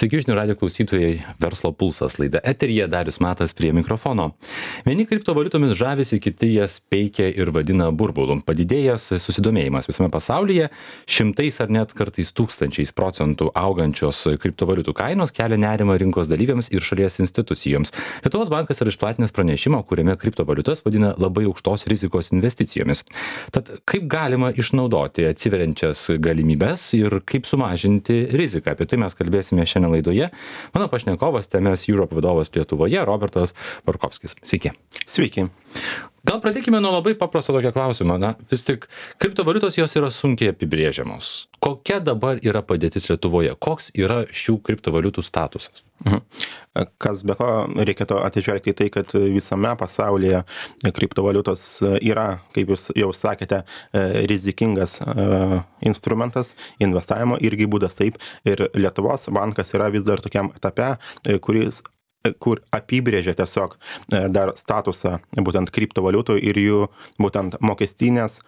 Sveiki, žinių radijo klausytojai, Verslo pulsas laida eteryje, Darius Matas prie mikrofono. Vieni kriptovaliutomis žavisi, kiti jas peikia ir vadina burbulu. Padidėjęs susidomėjimas visame pasaulyje, šimtais ar net kartais tūkstančiais procentų augančios kriptovaliutų kainos kelia nerimą rinkos dalyviams ir šalies institucijoms. Lietuvos bankas yra išplatinęs pranešimą, kuriame kriptovaliutas vadina labai aukštos rizikos investicijomis. Tad kaip galima išnaudoti atsiveriančias galimybes ir kaip sumažinti riziką? Apie tai mes kalbėsime šiandien laidoje. Mano pašnekovas TMS Europe vadovas Lietuvoje, Robertas Barkovskis. Sveiki. Sveiki. Gal pradėkime nuo labai paprasto tokio klausimo. Na, vis tik kriptovaliutos jos yra sunkiai apibrėžiamos. Kokia dabar yra padėtis Lietuvoje? Koks yra šių kriptovaliutų statusas? Kas be ko reikėtų atžvelgti į tai, kad visame pasaulyje kriptovaliutos yra, kaip jūs jau sakėte, rizikingas instrumentas, investavimo irgi būdas taip. Ir Lietuvos bankas yra vis dar tokiam etape, kur apibrėžia tiesiog dar statusą būtent kriptovaliutų ir jų būtent mokestinės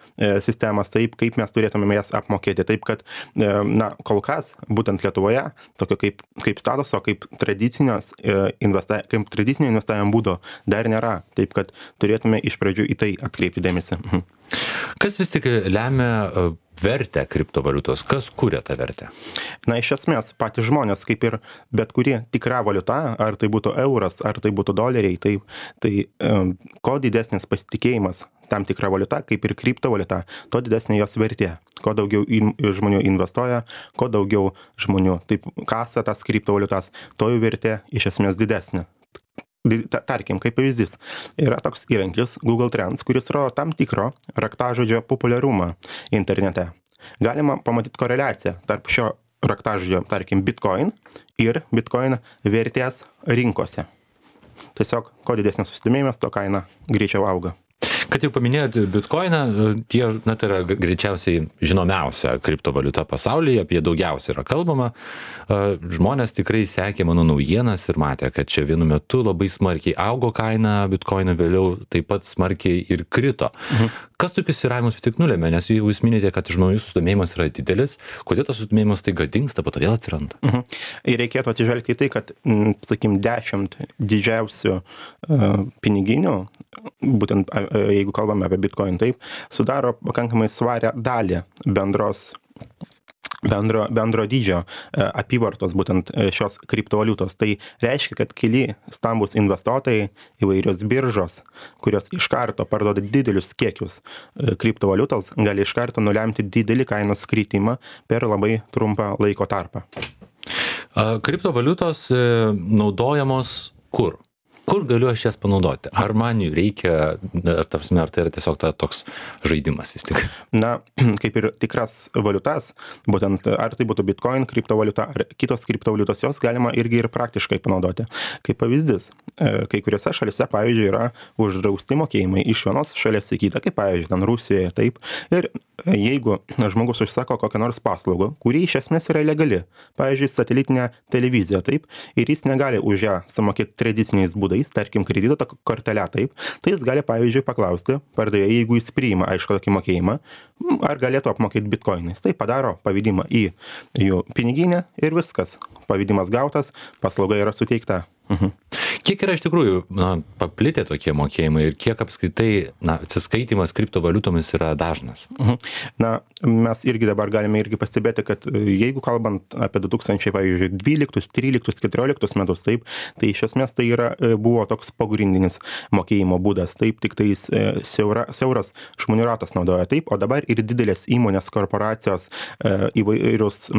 sistemas taip, kaip mes turėtume jas apmokėti. Taip, kad kol kas būtent Lietuvoje tokio kaip statuso, kaip tradicinio investavimo būdo dar nėra. Taip, kad turėtume iš pradžių į tai atkreipti dėmesį. Kas vis tik lemia vertę kriptovaliutos? Kas kuria tą vertę? Iš esmės, patys žmonės, kaip ir bet kuri tikra valiuta, ar tai būtų euras, ar tai būtų doleriai, tai kuo didesnis pasitikėjimas tam tikra valiuta, kaip ir kriptovaliuta, to didesnė jos vertė. Kuo daugiau žmonių investuoja, kuo daugiau žmonių taip kasa tas kriptovaliutas, to jų vertė iš esmės didesnė. Tarkim, kaip pavyzdys, yra toks įrankis Google Trends, kuris rodo tam tikro raktažodžio populiarumą internete. Galima pamatyti koreliaciją tarp šio raktažodžio, tarkim, Bitcoin ir Bitcoin vertės rinkose. Tiesiog, kuo didesnis susidomėjimas, to kaina greičiau auga. Kad jau paminėjote Bitcoiną, tai yra greičiausiai žinomiausia kriptovaliuta pasaulyje, apie daugiausiai yra kalbama. Žmonės tikrai sekė mano naujienas ir matė, kad čia vienu metu labai smarkiai augo kaina Bitcoino, vėliau taip pat smarkiai ir krito. Kas tokius svyravimus vis tik nulėmė? Nes jūs minite, kad žmonių susidomėjimas yra didelis, kodėl tas susidomėjimas taiga dingsta, po to vėl atsiranda? Ir reikėtų atsižvelgti į tai, kad, sakykim, 10 didžiausių piniginių, būtent jeigu kalbame apie Bitcoin, taip, sudaro pakankamai svarę dalį bendro dydžio apyvartos būtent šios kriptovaliutos. Tai reiškia, kad keli stambus investuotojai, įvairios biržos, kurios iš karto parduoda didelius kiekius kriptovaliutos, gali iš karto nulemti didelį kainos kritimą per labai trumpą laiko tarpą. Kriptovaliutos naudojamos kur? Kur galiu aš jas panaudoti? Ar man jų reikia, ar tai yra tiesiog toks žaidimas vis tik? Kaip ir tikras valiutas, būtent ar tai būtų Bitcoin kriptovaliuta, ar kitos kriptovaliutos, jos galima irgi ir praktiškai panaudoti. Kaip pavyzdys, kai kuriuose šalise, pavyzdžiui, yra uždrausti mokėjimai iš vienos šalies į kitą, kaip pavyzdžiui, ten Rusijoje, taip. Ir jeigu žmogus užsako kokią nors paslaugą, kuri iš esmės yra legali, pavyzdžiui, satelitinė televizija, taip, ir jis negali už ją sumokėti tradiciniais būdais, tarkim, kredito kortelę, taip, tai jis gali, pavyzdžiui, paklausti pardavėjo, jeigu jis priima, aišku, tokį mokėjimą, ar galėtų apmokėti bitkoinais. Tai padaro pavedimą į jų piniginę ir viskas. Pavedimas gautas, paslauga yra suteikta. Kiek yra iš tikrųjų paplitę tokie mokėjimai ir kiek apskritai atsiskaitimas kriptovaliutomis yra dažnas? Mes irgi dabar galime irgi pastebėti, kad jeigu kalbant apie 2012, 13, 14 metus, taip, tai iš esmės tai buvo toks pagrindinis mokėjimo būdas, taip, tik tai siauras žmonių ratas naudoja, taip, o dabar ir didelės įmonės, korporacijos, įvairius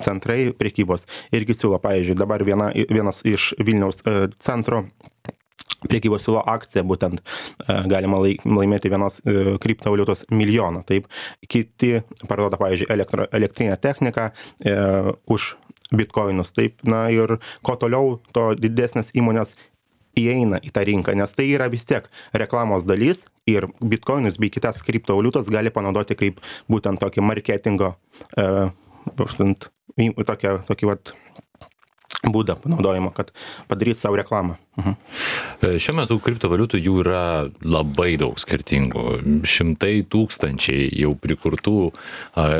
centrai prekybos irgi siūlo, pavyzdžiui, dabar vienas iš Vilniaus centro prekybos siūlo akciją, būtent galima laimėti vienos kriptovaliutos milijoną. Taip, kiti parduoda, pavyzdžiui, elektrinę techniką už bitkoinus. Taip, ir kuo toliau, to didesnės įmonės įeina į tą rinką, nes tai yra vis tiek reklamos dalis ir bitkoinus bei kitas kriptovaliutos gali panaudoti kaip būtent tokį marketingo, tokį būdą panaudojimo, kad padaryti savo reklamą. Šiuo metu kriptovaliutų jų yra labai daug skirtingų, šimtai tūkstančiai jau prikurtų,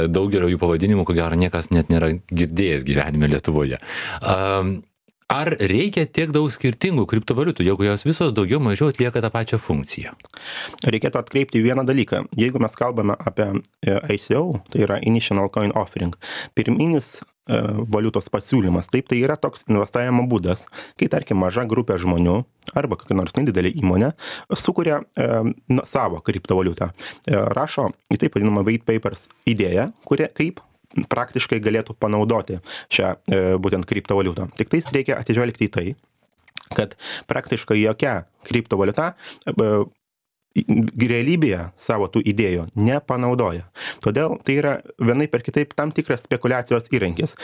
daugelio jų pavadinimų, ko gero niekas net nėra girdėjęs gyvenime Lietuvoje. Ar reikia tiek daug skirtingų kriptovaliutų, jeigu jos visos daugiau mažiau atlieka tą pačią funkciją? Reikėtų atkreipti vieną dalyką. Jeigu mes kalbame apie ICO, tai yra Initial Coin Offering, pirminis valiutos pasiūlymas, taip, tai yra toks investavimo būdas, kai tarkim maža grupė žmonių arba kokia nors nedidelė įmonė sukuria savo kriptovaliutą, rašo į taip vadinamą white papers idėją, kaip praktiškai galėtų panaudoti šią būtent kriptovaliutą. Tik tais reikia atsižvelgti į tai, kad praktiškai jokia kriptovaliuta realybėje savo tų idėjų nepanaudoja. Todėl tai yra vienaip per kitaip tam tikras spekulacijos įrankis.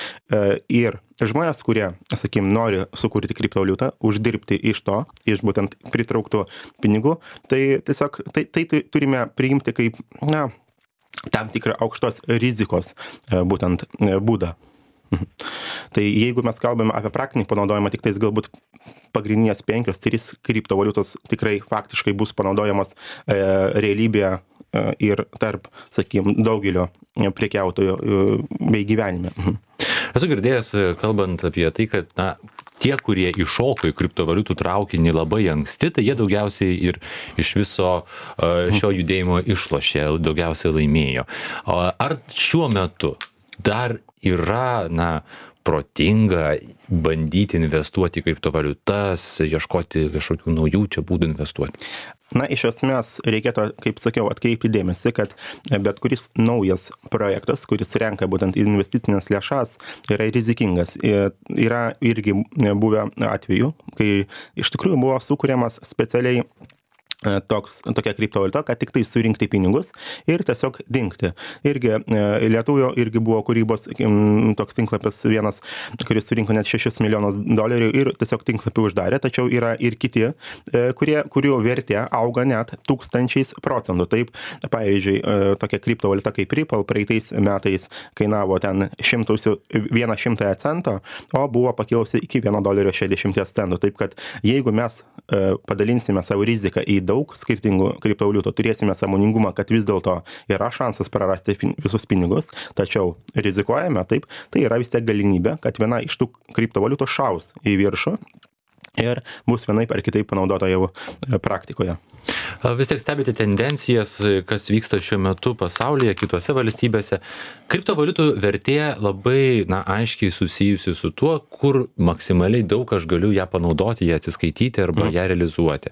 Ir žmonės, kurie, sakykim, nori sukurti kriptovaliutą, uždirbti iš to, iš būtent pritrauktų pinigų, tai tiesiog tai turime priimti kaip, tam tikrą aukštos rizikos būtent būdą. Tai jeigu mes kalbame apie praktinį panaudojimą, tik tais galbūt pagrindinės 5-3 kriptovaliutos tikrai faktiškai bus panaudojamos realybėje ir tarp, sakykime, daugelio prekiautojų bei gyvenime. Esu girdėjęs, kalbant apie tai, kad tie, kurie iššoko į kriptovaliutų traukinį labai anksti, tai jie daugiausiai ir iš viso šio judėjimo išlošė, daugiausiai laimėjo. Ar šiuo metu dar yra, protinga bandyti investuoti į kriptovaliutas, ieškoti kažkokių naujų čia būdų investuoti? Iš esmės reikėtų, kaip sakiau, atkreipti dėmesį, kad bet kuris naujas projektas, kuris renka būtent investicinės lėšas, yra rizikingas. Yra irgi buvę atvejų, kai iš tikrųjų buvo sukūriamas specialiai tokia kriptovaliuta, kad tik tai surinkti pinigus ir tiesiog dingti. Irgi Lietuvoje irgi buvo kūrybos toks tinklapis vienas, kuris surinko net $6 milijonus ir tiesiog tinklapį uždarė, tačiau yra ir kiti, kurių vertė auga net 1000%. Taip, pavyzdžiui, tokia kriptovaliuta kaip Ripple praeitais metais kainavo ten 100 cento, o buvo pakilusi iki $1.60. Taip, kad jeigu mes padalinsime savo riziką į daug skirtingų kriptovaliutų, turėsime sąmoningumą, kad vis dėlto yra šansas prarasti visus pinigus, tačiau rizikuojame, taip, tai yra vis tiek galimybė, kad viena iš tų kriptovaliutų šaus į viršų ir bus vienaip ar kitaip panaudota jau praktikoje. Vis tiek stebite tendencijas, kas vyksta šiuo metu pasaulyje, kitose valstybėse. Kriptovaliutų vertė labai aiškiai susijusi su tuo, kur maksimaliai daug aš galiu ją panaudoti, ją atsiskaityti arba ją realizuoti.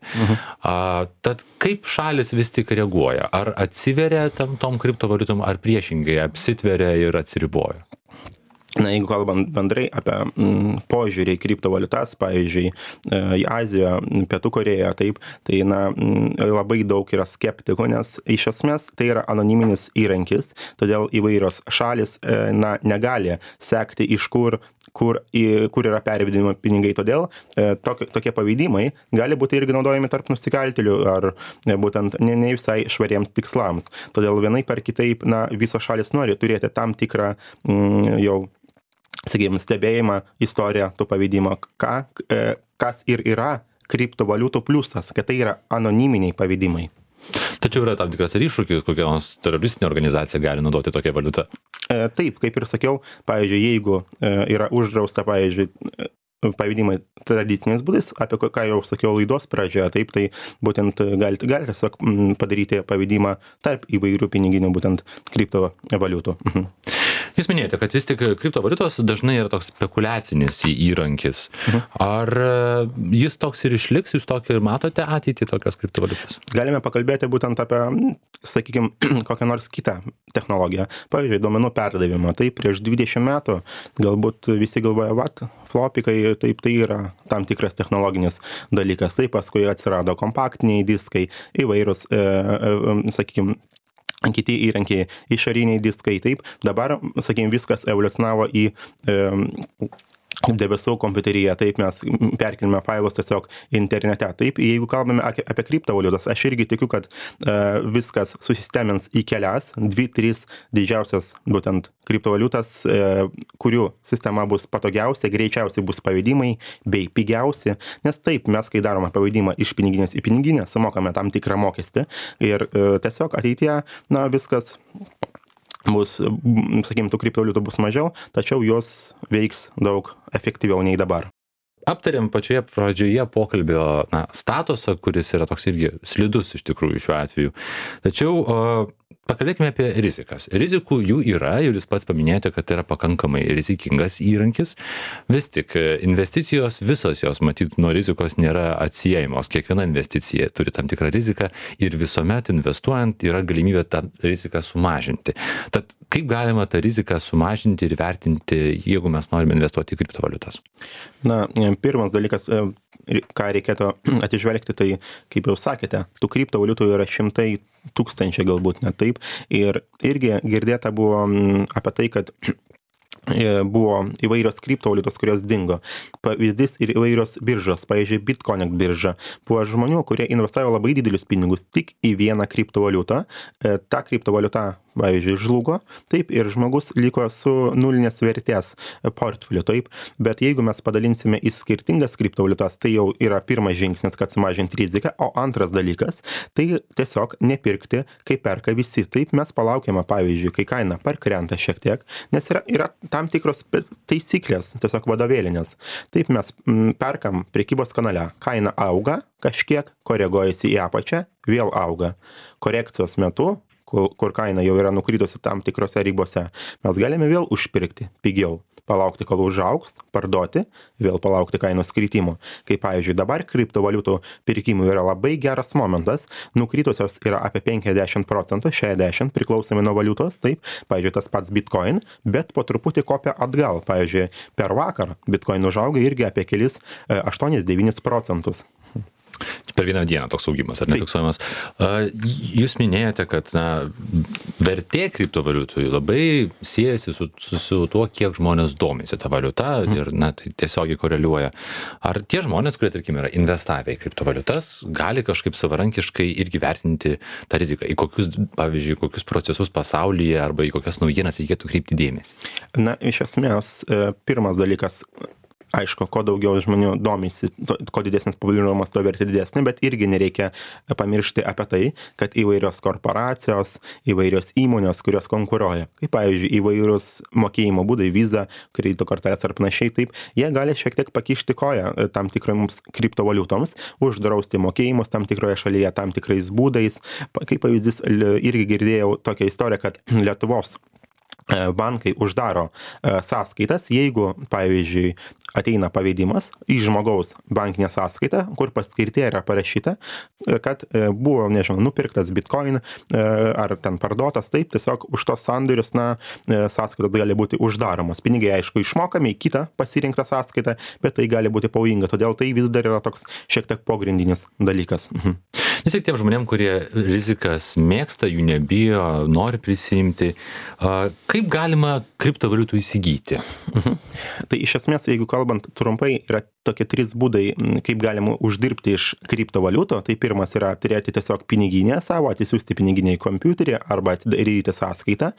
Tad kaip šalis vis tik reaguoja? Ar atsiveria tom kriptovaliutom, ar priešingai apsitveria ir atsiriboja? Jeigu kalbant bendrai apie požiūrį į kriptovaliutas, pavyzdžiui, į Aziją, Pietų Koreją, taip, tai labai daug yra skeptikų, nes iš esmės tai yra anoniminis įrankis, todėl įvairios šalis negali sekti iš kur yra pervedimo pinigai, todėl tokie pavedimai gali būti irgi naudojami tarp nusikaltėlių ar būtent ne visai švariems tikslams. Todėl vienaip ar kitaip visos šalis nori turėti tam tikrą jau, sakykime, stebėjimą, istoriją to pavedimo, kas ir yra kriptovaliutų pliusas, kad tai yra anoniminiai pavedimai. Tačiau yra tam tikras iššūkis, kokia nors teroristinė organizacija gali naudoti tokią valiutą. Taip, kaip ir sakiau, pavyzdžiui, jeigu yra uždrausta, pavyzdžiui, pavedimai tradiciniais būdais, apie ką jau sakiau laidos pradžioje, taip, tai būtent galite tiesiog padaryti pavedimą tarp įvairių piniginių būtent kriptovaliutų. Jūs minėjote, kad vis tik kriptovaliutos dažnai yra toks spekuliacinis įrankis. Ar jis toks ir išliks? Jūs tokį ir matote ateitį tokios kriptovaliutos? Galime pakalbėti būtent apie, sakykime, kokią nors kitą technologiją. Pavyzdžiui, duomenų perdavimą. Tai prieš 20 metų galbūt visi galvoja, flopikai, taip, tai yra tam tikras technologinis dalykas. Tai paskui atsirado kompaktiniai diskai, įvairūs, sakykime, kiti įrankiai, išoriniai diskai, taip. Dabar, sakykime, viskas evoliucionavo į debesų kompiuteryje, taip mes perkelime failus tiesiog internete. Taip, jeigu kalbame apie kriptovaliutas, aš irgi tikiu, kad viskas susistemins į kelias, 2-3 didžiausias būtent kriptovaliutas, kurių sistema bus patogiausia, greičiausiai bus pavedimai bei pigiausi, nes taip, mes kai darome pavedimą iš piniginės į piniginę, sumokame tam tikrą mokestį ir tiesiog ateityje, viskas bus, sakykime, tų kriptovaliutų bus mažiau, tačiau jos veiks daug efektyviau nei dabar. Aptarėm pačioje pradžioje pokalbio statusą, kuris yra toks irgi slidus iš tikrųjų šiuo atveju. Tačiau pakalbėkime apie rizikas. Rizikų jų yra ir jūs pats paminėjote, kad tai yra pakankamai rizikingas įrankis. Vis tik investicijos, visos jos matyt nuo rizikos nėra atsiejamos. Kiekviena investicija turi tam tikrą riziką ir visuomet investuojant yra galimybė tą riziką sumažinti. Tad kaip galima tą riziką sumažinti ir vertinti, jeigu mes norime investuoti į kriptovaliutas? Pirmas dalykas, ką reikėtų atižvelgti, tai, kaip jau sakėte, tų kriptovaliutų yra šimtai tūkstančiai galbūt net taip. Ir irgi girdėta buvo apie tai, kad buvo įvairios kriptovaliutos, kurios dingo. Pavyzdys ir įvairios biržos, pavyzdžiui, Bitconnect birža. Buvo žmonių, kurie investavo labai didelius pinigus tik į vieną kriptovaliutą. Ta kriptovaliuta, pavyzdžiui, žlugo, taip, ir žmogus liko su nulinės vertės portfeliu, taip. Bet jeigu mes padalinsime į skirtingas kriptovaliutas, tai jau yra pirmas žingsnis, kad sumažinti riziką, o antras dalykas, tai tiesiog nepirkti, kai perka visi. Taip, mes palaukiame, pavyzdžiui, kai kaina parkrenta šiek tiek, nes yra tam tikros taisyklės, tiesiog vadovėlinės. Taip, mes perkam prekybos kanale, kaina auga, kažkiek koreguojasi į apačią, vėl auga. Korekcijos metu, kur kaina jau yra nukritusi tam tikrose ribose, mes galime vėl užpirkti pigiau, palaukti, kol užaugs, parduoti, vėl palaukti kainos kritimo. Kaip pavyzdžiui, dabar kriptovaliutų pirkimų yra labai geras momentas, nukritusios yra apie 50%, 60% priklausomai nuo valiutos, taip, pavyzdžiui, tas pats Bitcoin, bet po truputį kopia atgal, pavyzdžiui, per vakar Bitcoin užauga irgi apie kelis 8-9%. Per vieną dieną toks augimas, ar nefiksuojamas. Jūs minėjote, kad vertė kriptovaliutų labai siejasi su tuo, kiek žmonės domisi tą valiutą ir tai tiesiogiai koreliuoja. Ar tie žmonės, kurie, tarkim, yra investavę į kriptovaliutas, gali kažkaip savarankiškai irgi vertinti tą riziką? Į kokius, pavyzdžiui, kokius procesus pasaulyje arba į kokias naujienas reikėtų kreipti dėmesį? Iš esmės, pirmas dalykas, aišku, kuo daugiau žmonių domisi, kuo didesnis populiarumas, to vertė didesnė, bet irgi nereikia pamiršti apie tai, kad įvairios korporacijos, įvairios įmonės, kurios konkuruoja, kaip pavyzdžiui, įvairius mokėjimo būdai, Visa, kredito kortelės ar panašiai, taip, jie gali šiek tiek pakišti koją tam tikroms kriptovaliutoms, uždrausti mokėjimus tam tikroje šalyje, tam tikrais būdais. Kaip pavyzdys, irgi girdėjau tokią istoriją, kad Lietuvos bankai uždaro sąskaitas, jeigu, pavyzdžiui, ateina pavedimas į žmogaus bankinę sąskaitą, kur paskirtyje yra parašyta, kad buvo, nežinau, nupirktas Bitcoin ar ten parduotas, taip, tiesiog už tos sandorius, sąskaitos gali būti uždaromos. Pinigai, aišku, išmokami į kitą pasirinktą sąskaitą, bet tai gali būti pavojinga, todėl tai vis dar yra toks šiek tiek pagrindinis dalykas. Vis tiek tiem žmonėm, kurie rizikas mėgsta, jų nebijo, nori prisimti, kaip galima kriptovaliutų įsigyti? Tai iš esmės, jeigu kalbant trumpai, yra tokie 3 būdai, kaip galima uždirbti iš kriptovaliutų. Tai pirmas yra turėti tiesiog piniginę savo, atsisiųsti piniginę į kompiuterį arba atidaryti sąskaitą.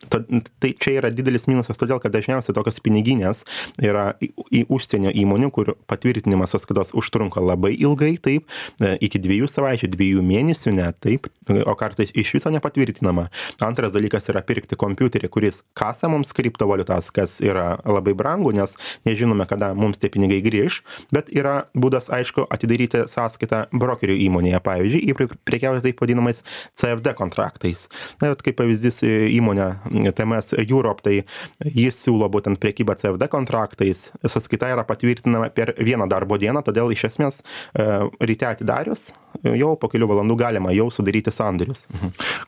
Tai čia yra didelis minusas, todėl kad dažniausiai tokios piniginės yra į užsienio įmonių, kur patvirtinimas sąskaitos užtrunka labai ilgai, taip, iki 2 savaičių, 2 mėnesių net, taip, o kartais iš viso nepatvirtinama. Antras dalykas yra pirkti kompiuterį, kuris kasa mums kriptovaliutas, kas yra labai brangu, nes nežinome, kada mums tie pinigai grįž, bet yra būdas, aišku, atidaryti sąskaitą brokerių įmonėje, pavyzdžiui, ir prekiauti taip vadinamais CFD kontraktais. Kaip pavyzdys įmonė TMS Europe, tai jis siūlo būtent prekybą CFD kontraktais, sąskaita yra patvirtinama per 1 darbo dieną, todėl iš esmės ryte atidarius, jau po kelių valandų galima jau sudaryti sandorius.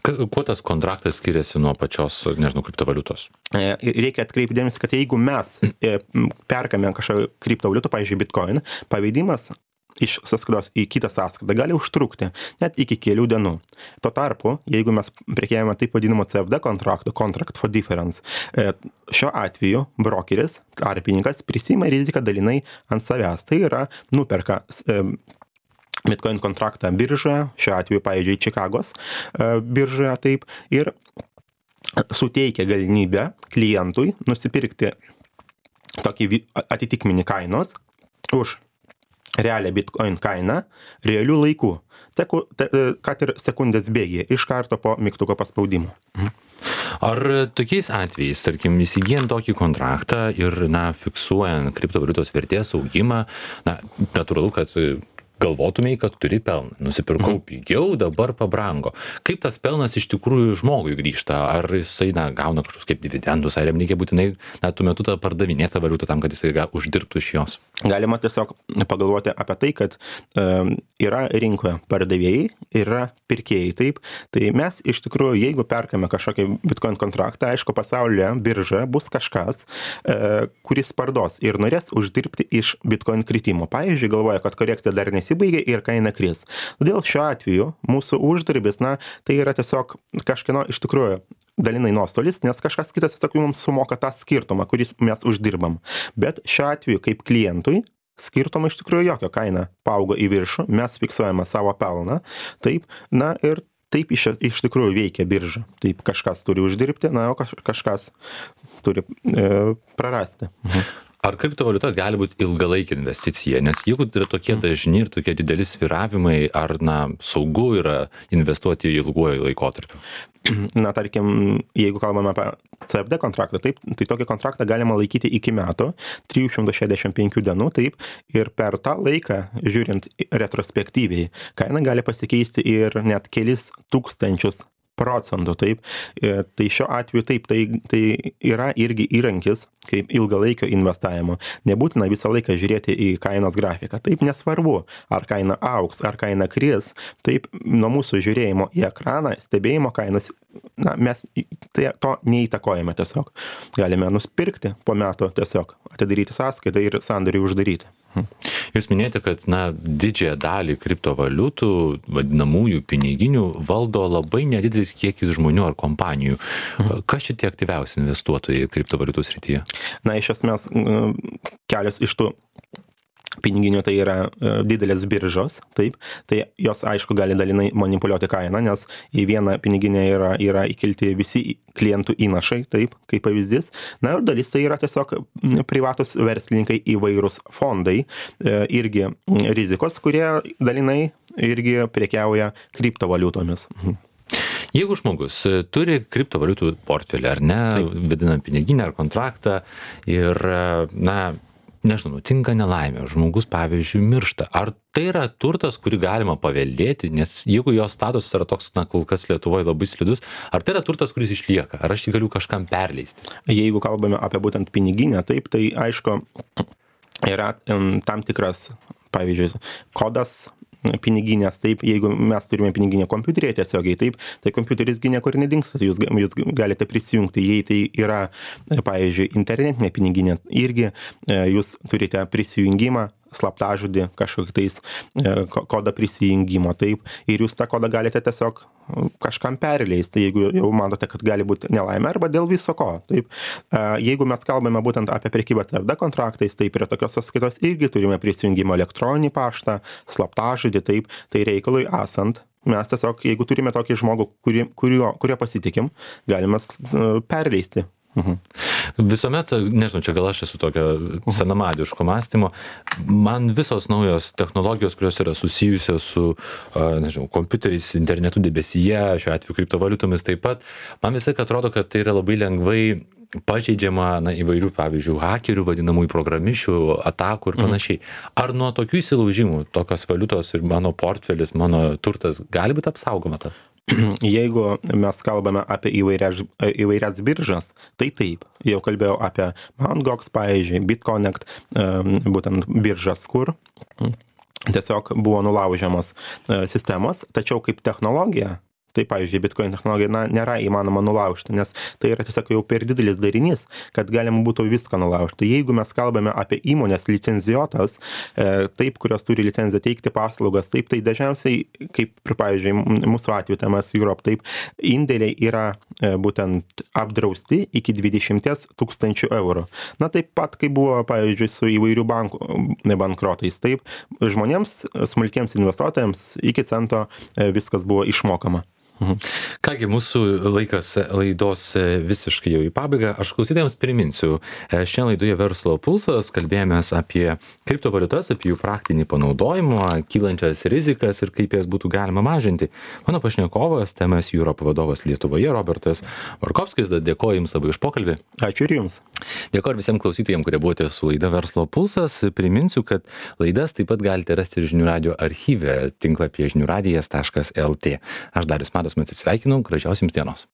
Kuo tas kontraktas skiriasi nuo pačios, nežinau, kriptovaliutos? Reikia atkreipti dėmesį, kad jeigu mes perkame kažkokią kriptovaliutą, pavyzdžiui, Bitcoin, pavedimas iš sąskaitos į kitą sąskaitą gali užtrukti net iki kelių dienų. Tuo tarpu, jeigu mes prekiavame taip vadinamo CFD kontrakto, Contract for Difference, šiuo atveju brokeris, tarpininkas, prisima riziką dalinai ant savęs. Tai yra, nuperka Bitcoin kontraktą biržoje, šiuo atveju, pavyzdžiui, Čikagos biržoje, taip, ir suteikia galimybę klientui nusipirkti tokį atitikmenį kainos už realią Bitcoin kainą realių laikų, kad ir sekundės bėgyje, iš karto po mygtuko paspaudimo. Ar tokiais atvejais, tarkim, įsigijant tokį kontraktą ir, fiksuojant kriptovaliutos vertės augimą, natūralu, kad galvotumei, kad turi pelną. Nusipirkau pigiau, dabar pabrango. Kaip tas pelnas iš tikrųjų žmogui grįžta? Ar jisai gauna kažkokius kaip dividendus, ar jam reikia būtinai tuo metu tą pardavinėtą valiutą tam, kad jisai uždirbtų iš jos? Galima tiesiog pagalvoti apie tai, kad yra rinkoje pardavėjai, yra pirkėjai, taip. Tai mes iš tikrųjų, jeigu perkame kažkokį Bitcoin kontraktą, aišku, pasaulyje biržoje bus kažkas, kuris parduos ir norės uždirbti iš Bitcoin kritimo. Pavyzdžiui, galvoja, kad korekcija dar nesibaigė ir kaina kris. Todėl šiuo atveju mūsų uždarbis, tai yra tiesiog kažkieno iš tikrųjų dalinai nuostolis, nes kažkas kitas tiesiog mums sumoka tą skirtumą, kurį mes uždirbam. Bet šiuo atveju kaip klientui skirtumą iš tikrųjų jokio, kaina paaugo į viršų, mes fiksuojame savo pelną, taip, ir taip iš tikrųjų veikia birža. Taip kažkas turi uždirbti, o kažkas turi prarasti. Ar kriptovaliuta gali būti ilgalaikė investicija? Nes jeigu yra tokie dažni ir tokie dideli svyravimai, ar saugu yra investuoti ilguoju laikotarpiu? Tarkim, jeigu kalbame apie CFD kontraktą, taip, tai tokį kontraktą galima laikyti iki metų, 365 dienų, taip, ir per tą laiką, žiūrint retrospektyviai, kaina gali pasikeisti ir net kelis tūkstančius procentų, taip. Tai šiuo atveju taip, tai yra irgi įrankis kaip ilgalaikio investavimo. Nebūtina visą laiką žiūrėti į kainos grafiką. Taip, nesvarbu, ar kaina augs, ar kaina kris. Taip, nuo mūsų žiūrėjimo į ekraną, stebėjimo kainas, mes to neįtakojame tiesiog. Galime nusipirkti po metų tiesiog, atidaryti sąskaitą ir sandorį uždaryti. Jūs minėjote, kad didžiąją dalį kriptovaliutų, vadinamųjų piniginių, valdo labai nedidelis kiekis žmonių ar kompanijų. Kas čia tie aktyviausi investuotojai kriptovaliutų srityje? Iš esmės, kelios iš tų piniginių tai yra didelės biržos, taip, tai jos aišku gali dalinai manipuliuoti kainą, nes į vieną piniginę yra įkelti visi klientų įnašai, taip, kaip pavyzdys. Ir dalis tai yra tiesiog privatus verslininkai, įvairūs fondai, irgi rizikos, kurie dalinai irgi prekiauja kriptovaliutomis. Jeigu žmogus turi kriptovaliutų portfelį, ar ne, vadinam piniginę ar kontraktą ir, nežinau, nutinka nelaimė, žmogus, pavyzdžiui, miršta. Ar tai yra turtas, kurį galima paveldėti, nes jeigu jo statusas yra toks, kol kas Lietuvoje labai slidus, ar tai yra turtas, kuris išlieka, ar aš jį galiu kažkam perleisti? Jeigu kalbame apie būtent piniginę, taip, tai aišku, yra tam tikras, pavyzdžiui, kodas piniginės, taip, jeigu mes turime piniginę kompiuterėje tiesiogiai, taip, tai kompiuteris niekur nedingsta, jūs galite prisijungti, jei tai yra, pavyzdžiui, internetinė piniginė, irgi jūs turite prisijungimą, slaptažodį, kažkokį tais kodą prisijungimo, taip, ir jūs tą kodą galite tiesiog kažkam perleisti, jeigu jau matote, kad gali būti nelaimė, arba dėl viso ko, taip. Jeigu mes kalbame būtent apie prekybą CFD kontraktais, tai prie tokios sąskaitos irgi turime prisijungimo elektroninį paštą, slaptažodį, taip, tai reikalui esant, mes tiesiog, jeigu turime tokį žmogų, kurio pasitikim, galime perleisti. Visuomet, nežinau, čia gal aš esu tokio senamadiško mąstymo, man visos naujos technologijos, kurios yra susijusios su, nežinau, kompiuteriais, internetu debesyje, šiuo atveju kriptovaliutomis taip pat, man visai atrodo, kad tai yra labai lengvai pažeidžiama įvairių, pavyzdžiui, hakerių, vadinamųjų programišių, atakų ir panašiai. Ar nuo tokių įsilaužimų, tokios valiutos ir mano portfelis, mano turtas gali būti apsaugoma tas? Jeigu mes kalbame apie įvairias biržas, tai taip, jau kalbėjau apie Mt. Gox, pavyzdžiui, BitConnect, būtent biržas, kur tiesiog buvo nulaužiamos sistemos, tačiau kaip technologija, tai pavyzdžiui, Bitcoin technologija nėra įmanoma nulaužti, nes tai yra tiesiog jau per didelis darinys, kad galima būtų viską nulaužti. Jeigu mes kalbame apie įmonės licenzijuotas, taip, kurios turi licenciją teikti paslaugas, taip, tai dažniausiai, kaip, pavyzdžiui, mūsų atveju TMS Europe, taip, indėliai yra būtent apdrausti iki 20 000 eurų. Na, taip pat, kaip buvo, pavyzdžiui, su įvairių bankų bankrotais, taip, žmonėms, smulkiems investuotojams iki cento viskas buvo išmokama. Kągi, mūsų laikas laidos visiškai jau į pabaigą. Aš klausytojams priminsiu, šiandien laidoje Verslo pulsas kalbėjomės apie kriptovaliutas, apie jų praktinį panaudojimą, kylančias rizikas ir kaip jas būtų galima mažinti. Mano pašnekovas, TMS Europe vadovas Lietuvoje, Robertas Markovskis. Dėkoju Jums labai už pokalbį. Ačiū ir Jums. Dėkoju visiems klausytojams, kurie buvote su laida Verslo pulsas. Priminsiu, kad laidas taip pat galite rasti ir Žinių radijo archyve tinklapyje žiniųradijas.lt. Aš Darius Matas atsisveikinu, gražios Jums dienos.